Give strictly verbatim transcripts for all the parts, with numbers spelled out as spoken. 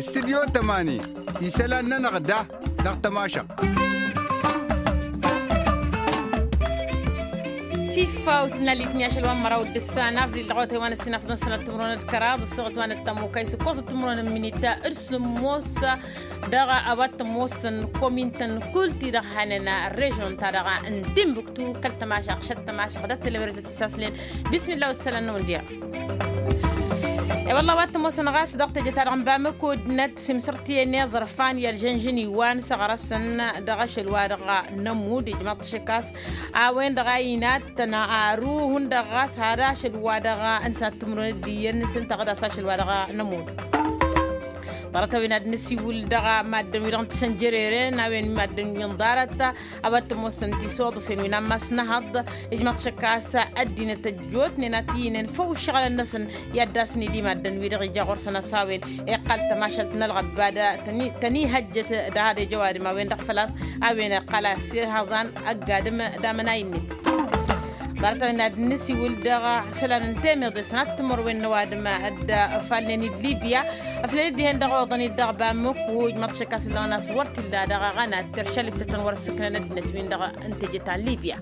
Studyo tămani isălan-nănăɣ da dăɣ-tămašăɣt. Tifawt n-allit n-i ašăl wa n-măraw d-ǝssan avril dăɣ-awătay wa n-ăssinafḍăn sănăt timǝrwen d-kăraḍ ăssaɣăt wa n-ăttămukay s-ǝkkoẓăt timǝrwen n-minita d-sǝmmos. Dăɣ-a-wa t-ămoosăn komintăn kull-ti-dăɣ hanen režon-ta-dăɣ n-timbuktu kăl-tămašăɣ šăt tămašăɣ d-ăttălăwret d-tisaslen. Bismillah wa t-isălan n-awǝndiya. E-wălla wa t-ămoosăn ɣas dăɣ-teje-ta-dăɣ n-bamăko d-năt simsăr-t i-ănni aẓrăfan i-ălžănžăn iwan s-aɣrăsăn dăɣ-ašăl-wa-dăɣ n-ămmud ijmaḍ-t šăkkas a-wen-dăɣ a inattăn aru hundăɣ ɣas har ašăl-wa-dăɣ n-sănat timǝrwen d-iyyăn s-ǝnta ɣǝdas ašăl-wa-dăɣ n-ămmud. Ḍarăt-a-wen ad-nǝsiwǝl dăɣ-maddǝn-wi-dăɣ n-tisănjăreren a-wen maddǝn wi n-ḍarăt a-wa t-ămoosăn tisoḍăsen wi n-ammas n-ehăḍ. Ijmaḍ-t šăkkas ăddinăt ăjjootnen ad-t-iyǝnen făw ǝššăɣǝlăn-năsăn i-ad-dd-asǝnid i-maddǝn-wi-dăɣ ija ɣur-săn a-s a-wen iqqăl tămašalt n-ălɣăbba d-tăn-ihăjjăt d-ahăd ejăwadǝm a-wen-dăɣ făl-a-s a-wen iqqăl a-s ihăẓan ăgg-adǝm d-amănay-net. Ḍarăt-a-wen ad-nǝsiwǝl dăɣ-isălan n-temeḍe sănat timărwen n-ăwadǝm dd-ăfalnen i-libya ăflăl-dd dihen-dăɣ oḍăn-dd dăɣ-bamăko ijmaḍ-t šăkk a-s ǝllăɣăn a-s wăr t-illa dăɣ-aɣăna d-terša liftătăn wăr-ǝssǝknăn ăddinăt-win-dăɣ n-teje ta n-libya.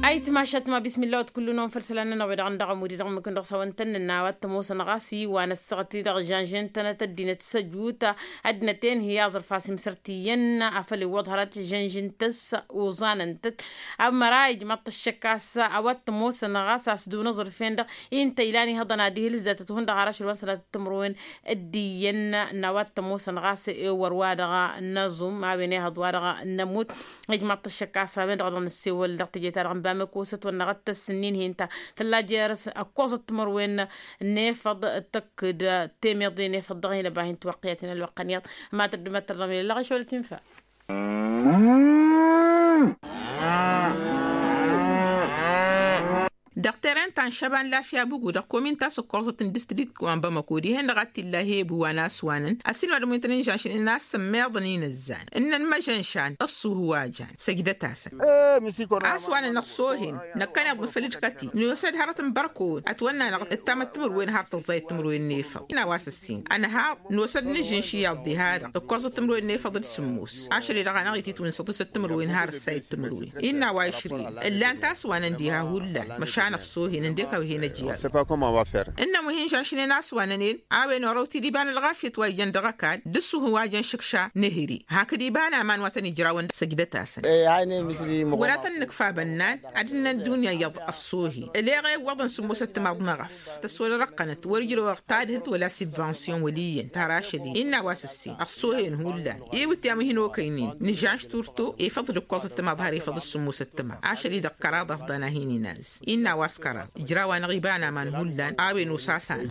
Ayǝtmašat ma bismillah wăt kull-năwăn făll-isălan-nănăɣ wi-dăɣ n-dăɣ ămud-i-dăɣ ǝmmǝk-in-dăɣ s-a-wăn tăn-nǝnna a-wa t-ămoosăn ɣas iwan ăssaɣăt-i-dăɣ žănžen-tănăt ăddinăt s-ăjut ăddinăt-en hi-aẓrǝf a-s imsăr-t iyyăn afăl iwwăḍ hărăt žănžen-tăs oẓanăn-tăt. Ămăra ijmăḍ-t ăššăk a-s a-wa t-ămoosăn ɣas a-s dun aẓrǝf-en-dăɣ i ǝnta ilan ihăḍăn ad-ihǝlǝzzatăt hundăɣ har ašăl wa n-sănatăt timǝrwen d-iyyăn n-a-wa t-ămoosăn ɣas ewăr wa-dăɣ n-aẓum a-wen ehăḍ wa-dăɣ n-ămmut. Ijmăḍ-t ăššăk a-s a-wen-dăɣ a dăɣ-nǝssewăl dăɣ-teje-ta-dăɣ n-bamăko s-ătwănnăɣ d-tăssǝnnin-hi ǝnta tălla jer-s ăkkoẓăt timǝrwen n-efăḍ tăkk-dd temeḍe n-efăḍ dăɣ-hin ăba hin-tiwăqqǝyăt hin-ălwăqq ănyaḍ. Ma tăddumăt tărrăm ilăɣ išolăt infa. Dăɣ-teren ta n-šăba n-lafya bugu dăɣ-komin ta s-ǝkkoẓăt n-distrikt wa n-bamăko dihen-dăɣ a t-illa hebu wa n-aswanăn ăsinmădăm wi n-tăn-in-žănšnen a-s ămmeḍăn inǝzzan ǝnnăn măžănšan ăṣṣuhu wa jan săjdăt-asăn. A-s wa nănăɣ s-ohen năkkăneḍ nǝfăl d-kăti nosă-dd hărăt n-bărkăwăn ătwănn'-anăɣ d-tamăttǝmǝrwen har tăẓẓayăt timǝrwen n-efăḍ. Ina wa s-ǝssin ănhăḍ nosă-dd nǝžžǝnš iyyăḍ diha-dăɣ ǝkkoẓăt timǝrwen n-efăḍ d-sǝmmos ašăl-i-dăɣ a năɣ-itit wi n-săḍisăt timǝrwen har ǝssayăt timǝrwen. Innă a-wa išrǝyăn ǝllan-t a-s wa năn diha hullan măšan ăṣṣohen ǝndek a-wi hen-ăj iyyăḍ. Ǝnnăn wi hin-žănšnen a-s wa năn-en a-wen orăw-t-dd iba n-ălɣafyăt wa ijăn dăɣ-ăkall d-ǝṣṣuhu wa jăn šǝkša n-ehri hakd iba n-aman wa tăn-ijrawăn săjdăt-asăn. Wăr-ad-tăn-nǝkf abănnan ad-ǝnnăn dunya iyyăḍ ăṣṣohen ăleɣ i-iwwăḍăn sǝmmosăt timaḍ n-eɣăf tăswăl răqqănăt wăr-ijrăwăɣ tadhǝlt wăla sibvansiyon wăl' iyyăn tar ašăl-i. Innă a-wa s-ǝssin ăṣṣohen hullan i-wǝtyan wi hin-okăynen nǝžžănš turto efăḍ d-ǝkkoẓăt timaḍ har efăḍ d-sǝmmosăt timaḍ ašăl-i-dăɣ kăraḍ afḍăn a hin-inaz. Innă a-wa s-kăraḍ ǝjraw-anăɣ iba n-aman hullan a-wen osasanăɣ.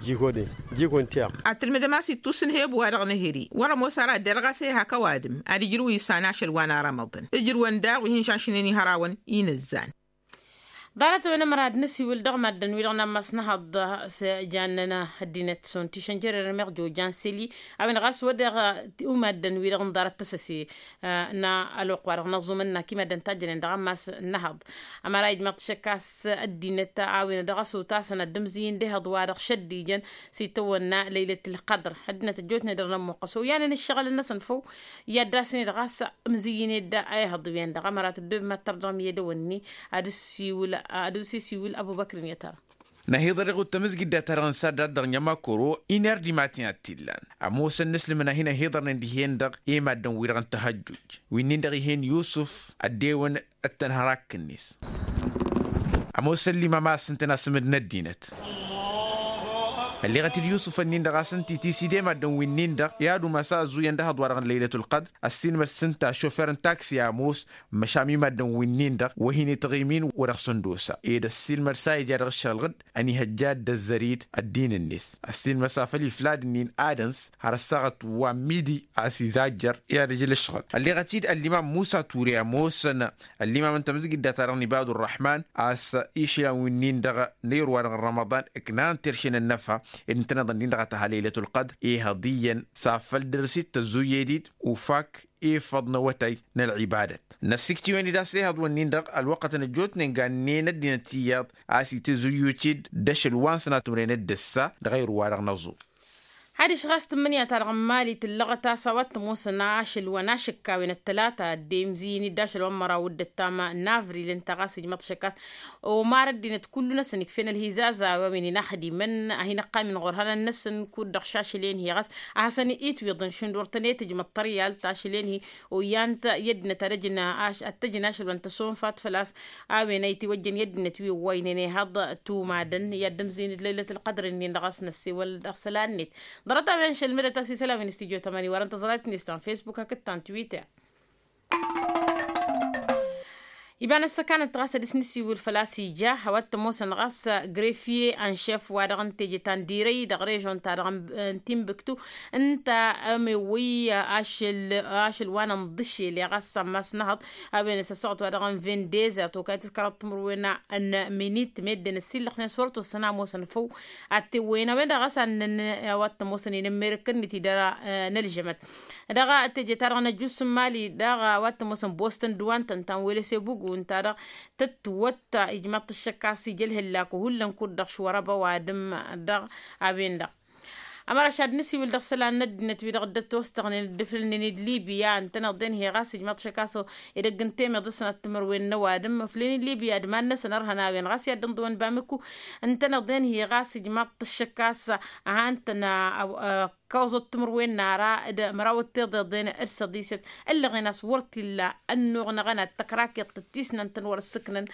Ad-tǝlmǝdăm a-s ittus n-hebu wa dăɣ-nǝhǝri wăr-ămoos ara ăddinăt ɣas e-hak ăwadǝm ad-ijrǝw isan ašăl wa n-arămăḍăn ǝjrǝwăn daɣ wi hin-žănšnen i-hărawăn inǝzzan. Ḍarăt-wen ămăra ad-nǝsiwǝl dăɣ-maddǝn-wi-dăɣ n-ammas n-ehăḍ s-jannen ăddinăt šund tišănjăr irmeɣ jojan seli a-wen ɣas wăr-dăɣ umaddǝn-wi-dăɣ n-ḍarăt tăsăse n-ălwăqq wa dăɣ-năẓumăn n-ak imaddǝn tajjănen dăɣ-ammas n-ehăḍ. Ămăra ijmăḍ-t šăkk a-s ăddinăt a-wen dăɣ-s otasăn ad-dd-ǝmzǝyǝn d-ehăḍ wa dăɣ-šăddijăn s-itawănna lăylăt ǝlqăḍr ăddinăt ăjjootnen dăr-nămmuqqăs oyanen ǝššăɣǝl-năsăn făw. I-ad-dd-asǝn-dd ɣas ǝmzǝyyǝn-dd a ihăḍ-wen-dăɣ ămăra tăddob mad-tărdăɣ mi-ed ăwănni ad-dd-siwǝl ad-dd-siwǝl ăbubăkr n-i-tăra. Năhiḍăr iɣud tamǝzgidda-ta-dăɣ n-saddad dăɣ-nya makoro iner d-imaten ad-t-illan ămoosăn n-aslǝmăn a hin-ăhiḍărnen dihen-dăɣ i-maddǝn-wi-dăɣ n-tăhăjjuj wi-nin-dăɣ ih'-en yusǝf ăddewăn d-tănhărakk-net. Ămoosăn limam a-s ǝntăn asǝmǝd n-ăddinăt ălleɣăt-dd yusǝf-nin-dăɣ a-s ǝnta itisǝde maddǝn-wi-nin-dăɣ i-ad-umas a ăzuyăn d-ehăḍ-wa-dăɣ n-lăylăt ălqăḍr ăssiilmăd s-ǝnta šofer n-taksi a ămoos măšan wi maddǝn-wi-nin-dăɣ wa hin-itɣim-in wa dăɣ-săn d-osa ed ăssiilmăd s-a ija dăɣ-ǝššăɣǝl-dd ănihăjja-dd ăzzărid ăddin-net. Ăssiilmăd s-afăl iflad-nin ad-ăns har ăssaɣăt wa n-midi a-s izajjăr i-ad-ăj ǝlǝšɣǝl ălleɣăt-dd ăllimam musa ture ămoosăn ăllimam n-tamǝzgidda-ta-dăɣ n-ibadu ărrăḥman a-s išlan wi-nin-dăɣ n-ayǝr-wa-dăɣ n-rămăḍan ǝknan terše n-ănnăfa. ed ǝntăneḍ ǝnnin-dăɣ a tăha lăylăt ălqădr. Ihăḍ iyyăn s-afăl dăr-s-dd tăzzuyed-dd ufak ifăḍ n-awătay n-ălɣibadăt. Năssikt'-iwen-dd a-s ihăḍ wǝnnin-dăɣ ălwăqqătăn ăjjootnen gannen ăddinăt iyyăḍ a-s itǝzzuyyu-t-dd d-ašăl wa n-sănatmăren d-ǝssa dăɣ-ayǝr-wa-dăɣ n-aẓu. Adiš ɣas tǝmmǝnǝya-ta-dăɣ n-imali tǝllăɣăt a-s a-wa t-ămoosăn ašăl wa n-ašǝkka a-wen ăttălata ăddemzǝyăn-dd ašăl wa n-măraw d-ăttam n-avril ǝnta ɣas ijmăḍ-t ašăk a-s omar ăddinăt kullu-năsăn ikfen ălhizaza a-wen-in axdimăn a hin-ăqqamen ɣur-ihănan-năsăn kud-dăɣ šašăl-en-hi ɣas a hasăn-itwiḍăn šund wăr tăn-e-tǝjmăḍ tăryalt ašăl-en-hi. Oyyan-t i-ăddinăt ad-ăjǝn ašăl wa n-tăsonfat făl-a-s a-wen a itiwăjjăn i-ăddinăt wi ǝwwaynen ihăḍ tumadăn i-ad-dd-ǝmzǝyăn d-lăylăt ălqădr-nin-dăɣ a-s năssewăl dăɣ-isălan-net. Ḍarăt-a-wen šălmădăt a-s isălan wi n-studyo tămani wărăn tăẓrayt-net ta n-facebook hakd ta n-twitter. Iba n-ăssăkanăt ɣas ad-dăr-s nǝsiwǝl făl-a-s ija a-wa t-ămoosăn ɣas greffier n-šef wa-dăɣ n-teje ta n-dirăy dăɣ-režon-ta-dăɣ n-timbuktu ǝnta a ămewăy ašăl wa n-inḍǝšel i-ɣas ammas n-ehăḍ a-wen s-ăssaɣăt wa dăɣ-n vin dezert okayăt s-kăraḍ timǝrwen n-minit meddǝn ăsillăxnen s-wăr tosăn a ămoosăn făw. Ad-t-ewwăyăn a-wen-dăɣ ɣas a ǝnnăn a-wa t-ămoosăn inǝmmerǝk-net idăr n-ălžămăt dăɣ-teje-ta-dăɣ n-ăjus n-imali dăɣ-a-wa t-ămoosăn boston d-wa n-tăn-ta n-wele s-ebugu ǝnta-dăɣ tăt-wătta ijmaḍ-t ǝššăk a-s ija ălhǝllak hullan kud-dăɣ šwărăba ăwadǝm. Dăɣ-a-wen-dăɣ ămăraš ad-nǝsiwǝl dăɣ-isălan n-ăddinăt wi-dăɣ dd-ătwăstăɣnen dd-ǝflǝlnen d-libya ǝntăneḍ-en hi-ɣas ijmaḍ-t ašăk a-s edăgg n-temeḍ s-sănat timǝrwen n-ăwadǝm ǝflǝlnen d-libya d-iman-năsăn ărhăn a-wen ɣas i-ad-dd-ǝnḍǝwăn bamǝkku. Ǝntăneḍ-en hi-ɣas ijmaḍ-t ǝššăk a-s ăhantăn ăkkoẓăt timǝrwen n-ara d-măraw d-tiḍeḍen d-săḍisăt ǝllăɣen a-s wăr t-illa ănnuɣ n-aɣăna d-tăkrakeḍt d-tisnant n-wăr-ǝssǝknăn.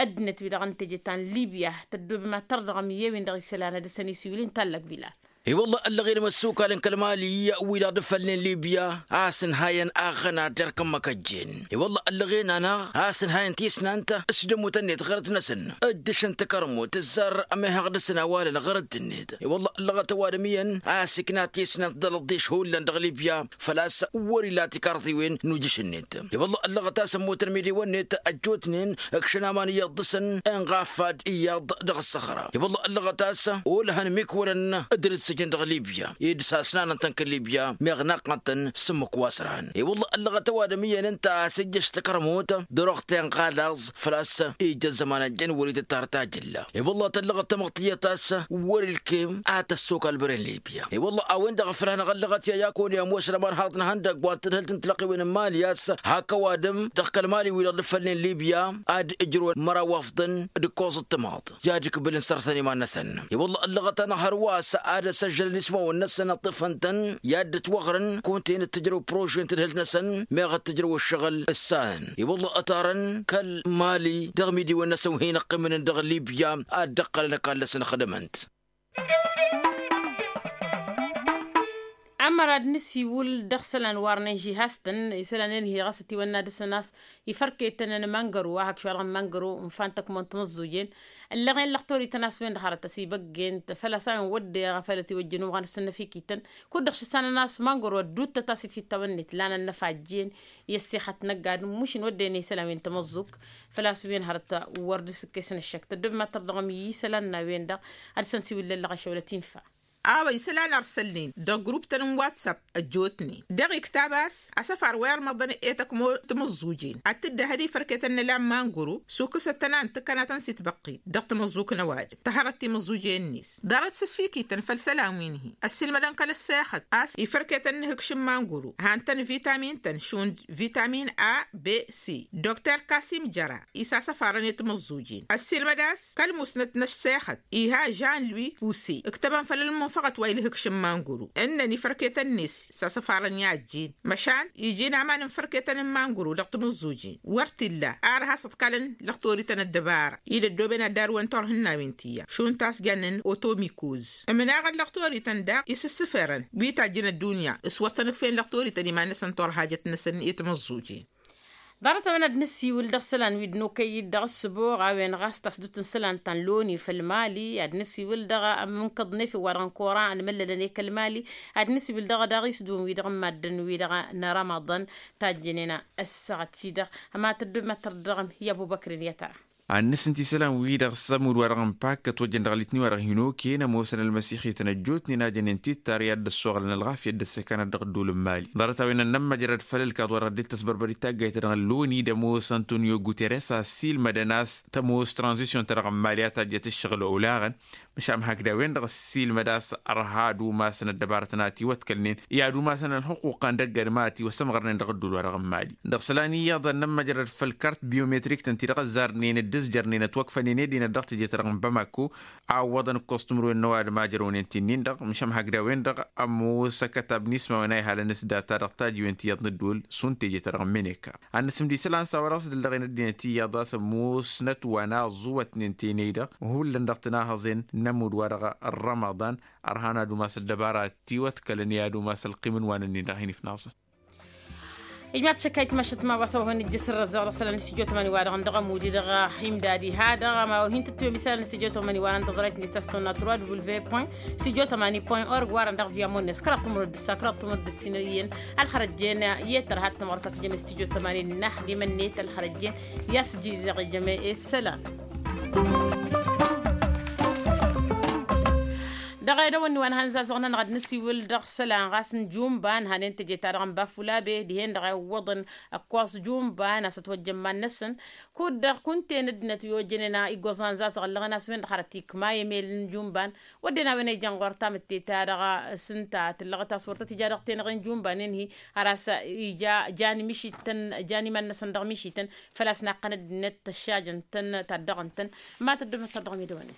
Ăddinăt-wi-dăɣ n-teje ta n-libya tăddobem ad-tărdăɣăm i-ewin dăɣ-isălan ad-dăr-săn isiwǝl-in tallăk bilal. I-wălla ăllăɣen imăssukalăn kăl-mali wi-dăɣ dd-fălnen libya a-s ǝnhayăn aɣăna d-erk n-imăkăjjen. I-wălla ăllăɣen-anăɣ a-s ǝnhayăn tisnant s-dămutăn-net ɣărăt-năsăn ǝddǝšăn takărmut tǝzzar ămehăɣ dăr-săn awalăn ɣărăt-net. I-wălla ăllăɣăt ăwadǝm iyyăn a-s ikna tisnant d-alăḍḍiš hullan dăɣ-libya făl-a-s wăr-ila tikarḍiwen n-ujǝš-net. I-wălla ăllăɣăt a-s ămmutăn imidiwăn-net ăjjootnen ǝkšăn aman iyyăḍ dăr-săn inɣafad iyyăḍ dăɣ-ăssăxra. I-wălla ăllăɣăt a-s olăhăn imikwălăn d-dd-sǝjǝn dăɣ-libya ed s-asnanăn-tăn kăl-libya meɣ naqqăn-tăn s-ǝmmǝk wa s-ărhan. I-wălla ăllăɣăt ăwadǝm iyyăn ǝnta a-s ǝjjăš takărmut d-oroɣten ɣalaẓ făl-a-s ija ăzzăman ăjjăn wăr-itǝttar tajǝlla. I-wălla tăllăɣăt tamăḍt tiyyăt a-s wăr-ilkem a tăssokal băren libya. I-wălla a-wen-dăɣ ăfrăhăn aɣăllăɣăt i-ayakon i-ămoos rămar haḍ n-ihăndăgg wa n-tadhǝlt n-tilăqqiwen n-mali a-s hak ăwadǝm dăɣ-kăl-mali wi-dăɣ dd-fălnen libya ad-ǝjrǝwăn măraw afḍăn d-ǝkkoẓ d-timaḍ i-ad-ǝkbǝlăn sărtăn iman-năsăn. I-wălla ăllăɣăt-anăɣ hărwa a-s ad-ăsăžžălăn ismawăn-năsăn ăṭṭǝfăn-tăn i-ad-dd-ătwăɣrǝn kunta-in d-tǝjrăw prože n-tadhǝlt-năsăn meɣ d-tǝjrăw ǝššăɣǝl ǝssanăn. I-wălla ătarăn kăl-mali dăɣ-imidiwen-năsăn wi hin-ăqqimnen dăɣ-libya ad-dd-ăqqălăn ăkall-năsăn ăxdămăn-t. Ămăra d-nǝsiwǝl dăɣ-isălan warnen žihastăn isălan-en hi-ɣas ătiwănna dăr-săn a-s ifărketăn n-mangăru wa hak šwa dăɣ-mangăru n-fan tăkmont măẓẓujen. Ǝllăɣen lăqtor-ităn a-s wen-dăɣ hărăt ăsibăggen făl-a-s a-wen wădden făl ătiwăjjăn umɣăn s-ănnăfikităn kud-dăɣ šăssanăn a-s mangăru ădduuttăt a-s ifittawăn-net lan ănnăfajjen i-ăssixăt n-ăgg-adǝm mušǝn wădden i-isălan wi n-tamăẓẓukt. Făl-a-s wen hărăt wăr dd-sǝkkesăn ăššăk tăddobem ad-tărdăɣăm i-isălan n-a-wen-dăɣ ad-săn siwǝllăllăɣ ašăwălăt infa. A-wa isălan ar sălnen dăɣ-grup-tăn n-whatsapp ăjjootnen dăɣ-iktab a-s asăfar wa irmăḍăn i-tăkmo timǝẓẓujen ad-tǝddǝhăd ifărketăn n-ăla n-manguru sukǝsăt-tăn a ǝntǝkkănatăn s-itbăqqit dăɣ-timǝẓẓuk n-ăwadǝm tăhărăt timǝẓẓujen-net. Ḍarăt s-ǝffikităn făll-isălan wi n-hi-ăssiilmădăn kăl-ăssexăt a-s ifărketăn n-ihǝkš n-manguru han-tăn vitamin-tăn šund vitamin a b c. Dokter kasim jăra isasăfarăn i-timǝẓẓujen ăssiilmăd a-s kăl-musnăt n-ăssexăt iha žan lui puse ǝktăbăn făll-ălmunfăɣăt wa ilhǝkš n-manguru ǝnnăn ifărketăn-net sasăfarăn i-ajjen măšan ijin aman n-ifărketăn n-manguru dăɣ-timǝẓẓujen wăr t-illa ar has-ăḍkalăn lăxtorităn ăddăbara i-dd-ăddooben ad-darǝwăn turhǝnnawen tiyyăɣ šund ta s-jannen otomikoz ǝmnaɣăn lăxtorităn daɣ isǝssǝferăn wi tajjăn ăddunya s-wăr tăn-ǝkfeyen lăxtorităn iman-năsăn turhajăt-năsăn i-timǝẓẓujen. Ḍarăt-a-wen ad-nǝsiwǝl dăɣ-isălan wi dd-nokăy dăɣ-ǝssǝboɣ a-wen ɣas tasdut n-isălan ta n-loni făll-mali ad-nǝsiwǝl dăɣ-amǝnkăḍ n-efew wa dăɣ-n kora ănmăllălăn i-kăl-mali ad-nǝsiwǝl dăɣ-daɣ isdǝwǝn wi-dăɣ n-maddǝn-wi-dăɣ n-rămăḍăn. Tajjănen ăssaɣăt-i-dăɣ ămatăddub măttăr dăɣ-m i-ăbubăkrin i-atăra. Ad-nǝsǝnt isălan-wi-dăɣ s-ămudd-wa-dăɣ n-pak ătwăjjăn dăɣ-litni-wa-dăɣ hin-okăyăn ămoosăn ălmăsixităn ăjjootnen a jănen tittari ad-dd-ăssoɣlăn ălɣafyăt d-ăssekăn ad-dăɣ-ădduul n-imali. Ḍarăt-a-wen ănnămmăjrăd făll-ălkaḍ-wa-dăɣ dd-tăsbărbărit taggayt-ta-dăɣ n-loni d-ămoos antonio guterres a ăssiilmădăn a-s tămoos tranzisyon-ta-dăɣ n-imali a tajjăt ǝššăɣǝl olaɣăn. Măšan hakd a-wen-dăɣ ăssiilmăd a-s ărha ad-umasăn ăddăbarătăn a ătiwătkălnen i-ad-umasăn ălxuqquqăn dăgg-adǝm a ătiwăsămɣărnen dăɣ-ădduul-wa-dăɣ n-imali. Dăɣ-isălan iyyăḍ ănnămmăjrăd făll-kart biometrik-tăn ti-dăɣ ăzzarnen dd-ǝzjărnen ătwăkfănen i-dinăt dăɣ-teje-ta-dăɣ n-bamako. A ǝwwăḍăn ǝkkoẓ timǝrwen n-ăwadǝm a jărăwnen ti-nin-dăɣ măšan hakd a-wen-dăɣ ămoos ăkătab n-ismawăn a ihalăn s-data dăɣ-tajiwen ti iyyăḍ n-ădduul šund teje-ta-dăɣ n-meneka. Ad-nǝsǝmd isălan s-a-wa dăɣ-s dd-ǝllăɣen ăddinăt iyyăḍ a-s ămoosnăt wa n-aẓuwătnen tenăy-dăɣ hullan dăɣ-tǝnahăẓen n-ămudd-wa-dăɣ n-rămăḍan. Ărhan ad-umas ăddăbara ătiwătkălăn i-ad-umas ălqim n-iwanăn-nin-dăɣ hin-ifnaẓăn. Ijmaḍ šăkka itmašăt ma wa s-a-wa hăn ijjăs ărrăzzaɣ dăɣ-isălan n-stujo tămani-wa-dăɣ n-dăɣ-ămud-i-dăɣ imdad iha-dăɣ a ma wa hin-tǝttǝwem isălan n-stujo tămani-wa-dăɣ n-tăẓrayt-net ta s-tăwănna trois w point stujo tămani point org wa-dăɣ n-dăɣ-viya monnes kăraḍ timǝrǝd d-ǝssa kăraḍ timǝrǝd d-ǝssin iyyăn. Ălxărăjjen i-dd-tărha d-timɣurăt ta tǝjjăme s-tijo tămani n-naḥ d-imănnet ălxărăjjen i-a-s ǝjjǝy dăɣ-ijăme i-isălan. Dăɣ-edăwănni wa n-hăn zazăɣ-nănăɣ ad-nǝsiwǝl dăɣ-isălan ɣas n-jumba n-hanen teje-ta-dăɣ n-bafulabe dihen-dăɣ a iwwăḍăn ăkkoẓ jumba n-a-s ătwăjjăn iman-năsăn. Kud-dăɣ kunta-en ăddinăt wi ojănen iggoẓan zazăɣ ăllăɣăn a-s wen-dăɣ hărăt ikma i-emel n-jumban. Wădden a-wen a ijăn ɣur-tamǝtte-ta-dăɣ s-ǝnta tǝllăɣăt a-s wăr tăt-ija dăɣ-tenăɣ n-jumban-en-hi har a-s ija jan mišităn jan iman-năsăn dăɣ-mišităn. Făl-a-s naqqăn ăddinăt tăššajăn-tăn taddăɣăn-tăn. Ma tăddobnăt-tăr dăɣ-medăwănne.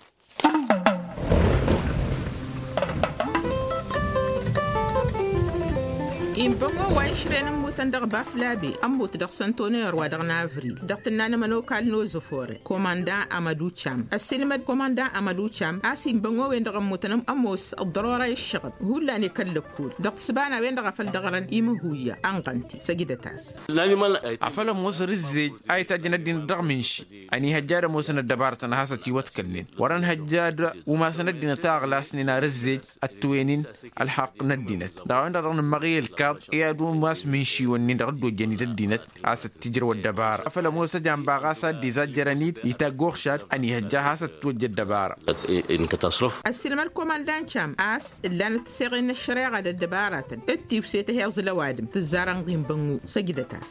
Inbăngo wa išren ǝmmutăn dăɣ-baflabe ămmut dăɣ-săntoner wa dăɣ-navril dăɣ-tǝnna n-ămănokal n-ozăfore komanda amăducam ăssiilmăd komanda amăducam a-s inbăngo-wen-dăɣ ămmutăn ămoos ăḍḍărora i-ǝššăɣăb hullan i-kăl-lăkkul dăɣ-tǝsba n-a-wen-dăɣ a făl dăɣrăn imǝhuyya ănɣăn-t-i săjdăt-as. Afăl ămoos rǝzzej a itajjăn ăddinăt dăɣ-mǝnši ănihăjja ad-ămoosăn ăddăbarătăn a has-ătiwătkălnen wăr-ănhăjja ad-umasăn ăddinăt a ăɣlasnen ar ǝzzej ăttăwen-in ălxaqq n-ăddinăt dăɣ-a-wen-dăɣ dăɣ-nǝmmăɣ i-ălkaḍ i-ad-umas mǝnšiwăn-nin-dăɣ dd-ojjăn-dd ăddinăt. A-s ăttijrăw ăddăbara afăl ămoos ăjamba ɣas a dd-izajjărăn-dd itagg uɣšad ănihăjja a has-ăttwăjja ăddăbara. Ăssiilmăd komandan cam a-s ǝllanăt tiseɣen n-ăššăreɣa d-ăddăbaratăn d-tiwse tăheẓ ălăwadǝm tǝzzarăn ɣinbănnu săjdăt-as.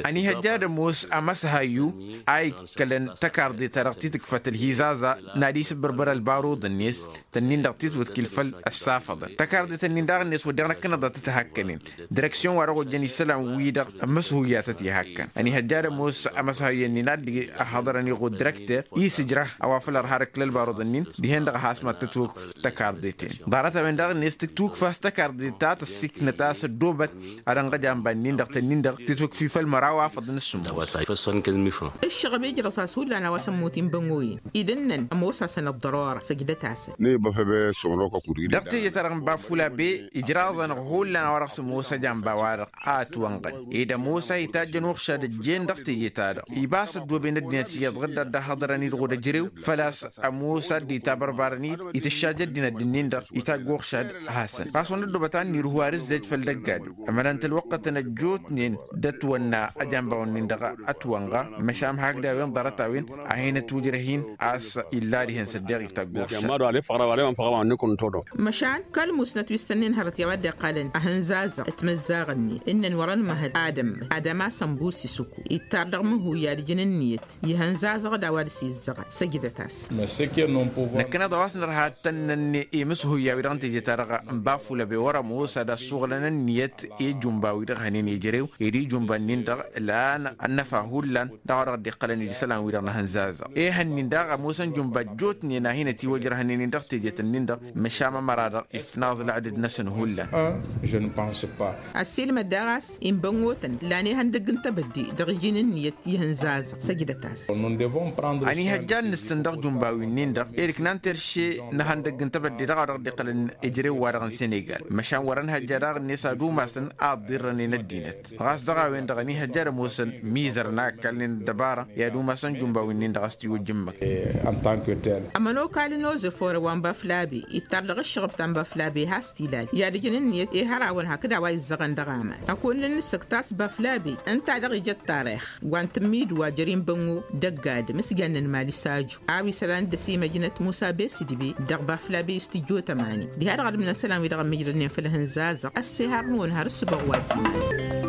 Ănihăjja ad-ămoos amăshayyu a ikkălăn tăkarḍe-ta-dăɣ ti tǝkfăt ălhizaza n-ad-isǝbbărbăr ălbaruḍ-net tănnin-dăɣ titwǝtkǝl făll-ăssafăḍăn tăkarḍe-tăn-in daɣ-net wădden ăknăḍ a tăt-hakkănen. Direksyon-wa-dăɣ ojjăn isălan-wi-dăɣ ămmǝshuyya a tăt-ihakkăn ănihăjja ad-ămoos amăshayyu-nin a dd-ăhhăḍărăn iɣud direkter i-sǝjrăh a-wa făl ărha d-ǝkkǝl ălbaruḍ-nin dihen-dăɣ a has-mad-tătwǝkf tăkarḍe-ten. Ḍarăt-a-wen-dăɣ-net tǝtwǝkf a-s tăkarḍe ta tăssiiknăt a-s ăddoobăt ad-ănɣăj amba-nin-dăɣ tănnin-dăɣ tǝtwǝkf i-făll-măraw afăḍăn s-sǝmmos. Ǝššăɣăb ijrăẓ-as hullan a-wa s-ămmut inbăngoyăn idǝnnăn ămoos-asăn ăḍḍărora săjdăt-asăn. Dăɣ-teje-ta-dăɣ n-bafulabe ijraẓ-anăɣ hullan a-wa dăɣ-s ămoos ăjamba-wa-dăɣ a ătwănɣăn ed ămoos a itajjăn uɣšad ăjjeen dăɣ-teje-ta-dăɣ iba a-s ăddooben ăddinăt iyyăḍ ɣǝdda dd-ăhhăḍărăn-dd ɣud ăjrew făl-a-s ămoos a dd-itabărbarăn-dd itǝššaj ăddinăt d-ǝnnin-dăɣ itagg uɣšad. Hasăn ɣas wăn-ăddobăt a ǝnnirǝhu ar ǝzzej făll-dăgg-adǝm ămănăn-t ălwăqqătăn ăjjootnen d-ătwănna ăjamba-wăn-nin-dăɣ ătwănɣa. Măšan hakd a-wen ḍarăt-a-wen a hin-ătwǝjrăh-in a-s illa dihen s-ăddeɣ itagg uɣšad. Măšan kăl-musnăt wi s-tănnin hărăt i-a-wa dd-iqqalăn ahǝnzazăɣ timǝzzaɣ-net ǝnnăn wăr-ănmăhăd ad-ămmăt ad-ămasăn busi s-uku ittar dăɣ-mǝhuyya ad-ǝjǝn ǝnniyăt ihănzazăɣ d-a-wa dăr-s izzăɣăn săjdăt-as. Năkkăneḍ a-wa s-nărha ad-tănnănne i-imǝshuyya-wi-dăɣ n-teje-ta-dăɣ n-bafulăbe wăr-ămoos ad-ăssuɣlăn ǝnniyăt i-ijumba-wi-dăɣ hănen ejărew ed ijumba-nin-dăɣ lan ănnăfa hullan. Dăɣ-a-wa dăɣ-dd-iqqălăn ed isălan-wi-dăɣ n-ahǝnzazăɣ ehăn-nin daɣ ămoosăn jumba ăjjootnen a hin-ătiwăjrăhnen-in dăɣ-tejet-nin-dăɣ măšan amăra-dăɣ ifnaẓ lăɣdǝd-năsăn hullan. Ăssiilmăd daɣ a-s inbănotăn lan ihăndăgg n-tebădde dăɣ-iji n-ǝnniyăt ihǝnzazăɣ săjdăt-as. Ănihăjja ad-nǝssǝn dăɣ-jumba wi-nin-dăɣ ed ǝknan terše n-ihăndăgg n-tebădde dăɣ-a-wa dăɣ-dd-iqqălăn ejărew-wa-dăɣ n-senegal măšan wăr-ănhăjja daɣ-net ad-umasăn a ǝḍḍirrănen ăddinăt. Ɣas dăɣ-a-wen-dăɣ ănihăjja ad-ămoosăn mizărăn a ǝkkalnen ăddăbara i-ad-umasăn jumba wi-nin-dăɣ a-s tiwǝjjǝmmăk. Ămănokal n-ozăfore wa n-baflabe ittar dăɣ-ǝššăɣăb ta n-baflabe has-tilal i-ad-ǝjǝn ǝnniyăt i-hărawăn. Kăd a-wa izzăɣăn dăɣ-aman ăkon n-ănnǝssăk tasba flabe ǝnta-dăɣ ija ăttarix wa n-tǝmmidǝwa jer-inbăngo d-ăgg-adǝm s-jannen mali s-aju. A-wa isălan dd-ăsimăjnăt musa besǝdbe dăɣ-ba flabe s-tijjotămani diha-dăɣ ad-ǝmnăn isălan-wi-dăɣ ămmijrădnen făll-ehăn zazăɣ ăssihar-năwăn har ǝssǝbăɣ wa dd-iman.